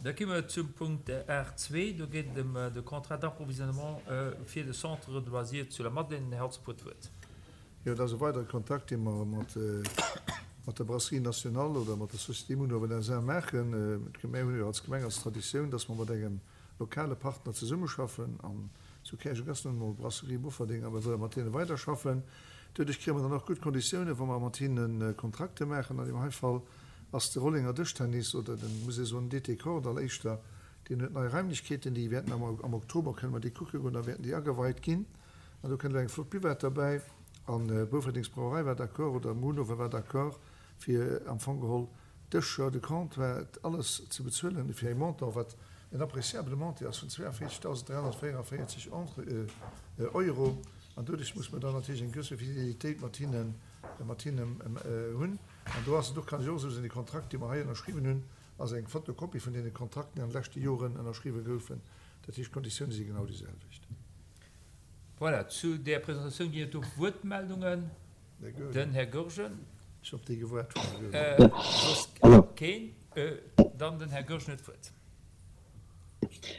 Da gi mer zum Punkt 8.2. Do geet et ëm de Contrat d'approvisionnement fir de Centre de loisirs zu Lamadelaine. Den Här Halsdorf huet d'Wuert. Jo, dat ass e weidere Kontakt, dee mer mat der Brasserie Nationale oder mat der Société Munhowen SA maachen. Mir hunn jo als Gemeng als Traditioun, dass mer mat engem lokale Partner zesummeschaffen. An zu Käerjeng ass nun emol d'Brasserie Bofferding a mir wëlle mat hinne weiderschaffen. Doduerch kréie mer dann och gutt Konditiounen, wa mer mat hinne Kontrakte maachen. An deem hei Fall ass de Rollenger Dëschtennis oder den, muss ee soen, DT Kordall éischter, deen huet nei Raimlechkeeten, déi wäerten am am Oktober kënne mer déi kucke goen, da wäerten déi ageweit ginn. An do kënnt elo eng flott Buvette derbäi. An d'Boufferdengs Brauerei war d'accord, oder Munhowen war d'accord, fir am Fong geholl d'Dëscher, de Comptoir, alles ze bezuelen fir e Montant, wat en appréciabele Montant ass vun 42.344 Euro. An doduerch muss mer dann natierlech eng gewësse Fidélitéit mat hinnen, mat hinnen hunn. An do ass et och, kann ech och esou soen, dee Kontrakt, dee mer hei ënnerschriwwen hunn, ass eng Fotokopie vun deene Kontrakten, déi an de leschte Joren ënnerschriwwe goufen. Dat heescht, d'Konditioune si genau déi selwecht. Voilà, zu där Presentatioun ginn et do Wuertmeldungen. Den Här Goergen. Ech op déi gewaart hunn, Här Goergen. Soss keen? Dann den Här Goergen huet d'Wuert.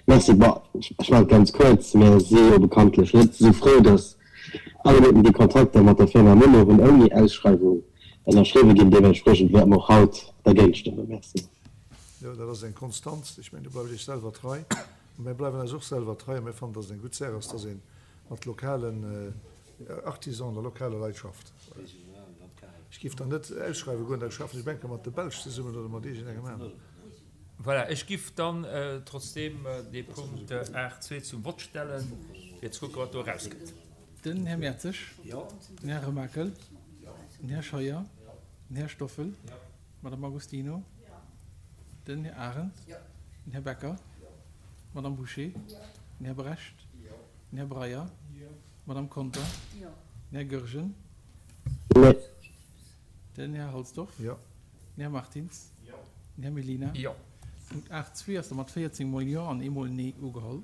Merci. Bon, ech maachen et ganz kuerz. Mir si jo bekanntlech net esou frou, datt alleguerten déi Kontrakter mat der Firma Munhowen ouni Ausschreiwung ënnerschriwwe ginn. Deementspriechend wäerte mer och haut dergéint stëmmen. Merci. Jo, dat ass eng Konstanz. Ech mengen, do bleift Iech selwer trei. A mir bleiwen eis och selwer trei a mir fannen, datt et eng gutt Saach ass, datt ee mat lokalen Artisanen a lokale Leit schafft. Ech géif dann net ausschreiwe goen, da schaffen ech enker mat de Belsch zesummen oder mat iergendengem aneren. Voilà, ech giff dann trotzdeem dee Punkt 8.2 zum Vott stellen, fir ze kucken, wat do erauskënnt. Den Här Mertzig. Den Här Remakel. Den Här Scheuer. Den Här Stoffel. D'Madame Agostino. Den Här Arendt. Den Här Becker. D'Madame Bouché. Den Här Brecht. Den Här Breyer. D'Madame Conter. Den Här Goergen. Den Här Halsdorf. Den Här Martins. Den Här Mellina. Jo. Punkt 8.2 ass da mat 14 mol Jo an eemol Nee ugeholl.